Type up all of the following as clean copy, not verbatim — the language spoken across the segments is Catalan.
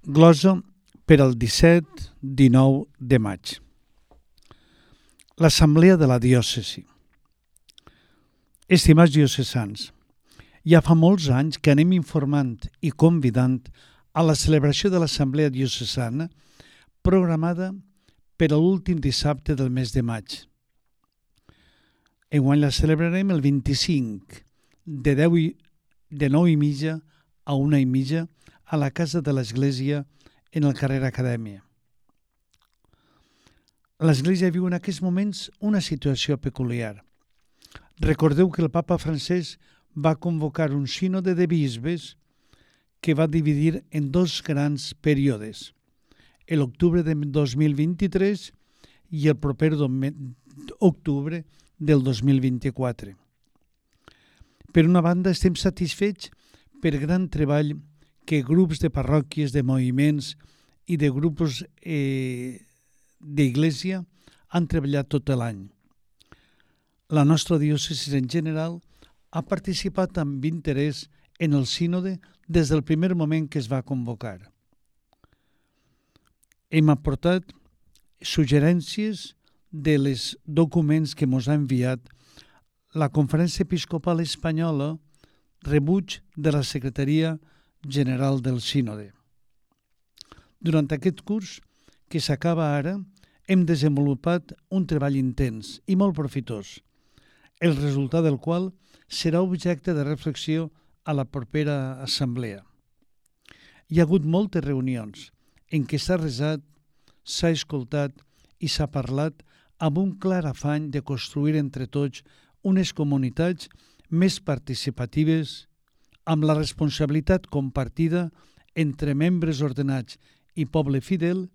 Glosa per al 17-19 de maig. L'Assemblea de la Diòcesi. Estimats diocesans, ja fa molts anys que anem informant i convidant a la celebració de l'Assemblea Diocesana programada per a l'últim dissabte del mes de maig. Enguany la celebrarem el 25, de 9:30 a 1:30 a la Casa de l'Església en el carrer Acadèmia. L'Església viu en aquests moments una situació peculiar. Recordeu que el papa Francesc va convocar un sínode de bisbes que va dividir en dos grans períodes, l'octubre de 2023 i el proper octubre del 2024. Per una banda, estem satisfets per gran treball que grups de parròquies, de moviments i de grups d'Església han treballat tot l'any. La nostra diòcesi en general ha participat amb interès en el sínode des del primer moment que es va convocar. Hem aportat suggerències dels documents que ens ha enviat la Conferència Episcopal Espanyola, rebuig de la Secretaria General del Sínode. Durant aquest curs, que s'acaba ara, hem desenvolupat un treball intens i molt profitós, el resultat del qual serà objecte de reflexió a la propera assemblea. Hi ha hagut moltes reunions en què s'ha resat, s'ha escoltat i s'ha parlat amb un clar afany de construir entre tots unes comunitats més participatives, amb la responsabilitat compartida entre membres ordenats i poble fidel,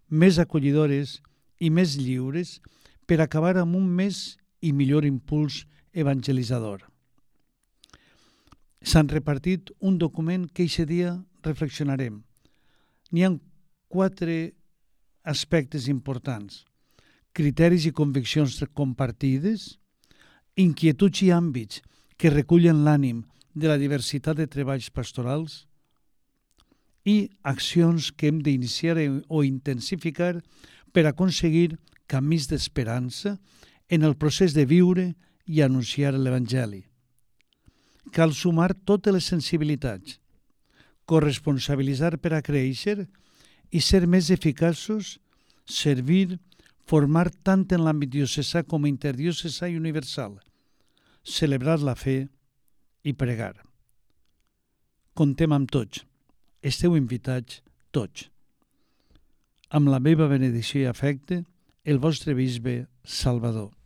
més acollidores i més lliures per acabar amb un més i millor impuls evangelitzador. S'han repartit un document que aquest dia reflexionarem. N'hi ha 4 aspectes importants: criteris i conviccions compartides, inquietuds i àmbits que recullen l'ànim de la diversitat de treballs pastorals i accions que hem d'iniciar o intensificar per aconseguir camins d'esperança en el procés de viure i anunciar l'Evangeli. Cal sumar totes les sensibilitats, corresponsabilitzar per a créixer i ser més eficaços, servir, formar tant en l'àmbit diocesà com interdiocesà i universal, celebrar la fe i pregar. Contem amb tots. Esteu invitats tots. Amb la meva benedicció i afecte, el vostre bisbe Salvador.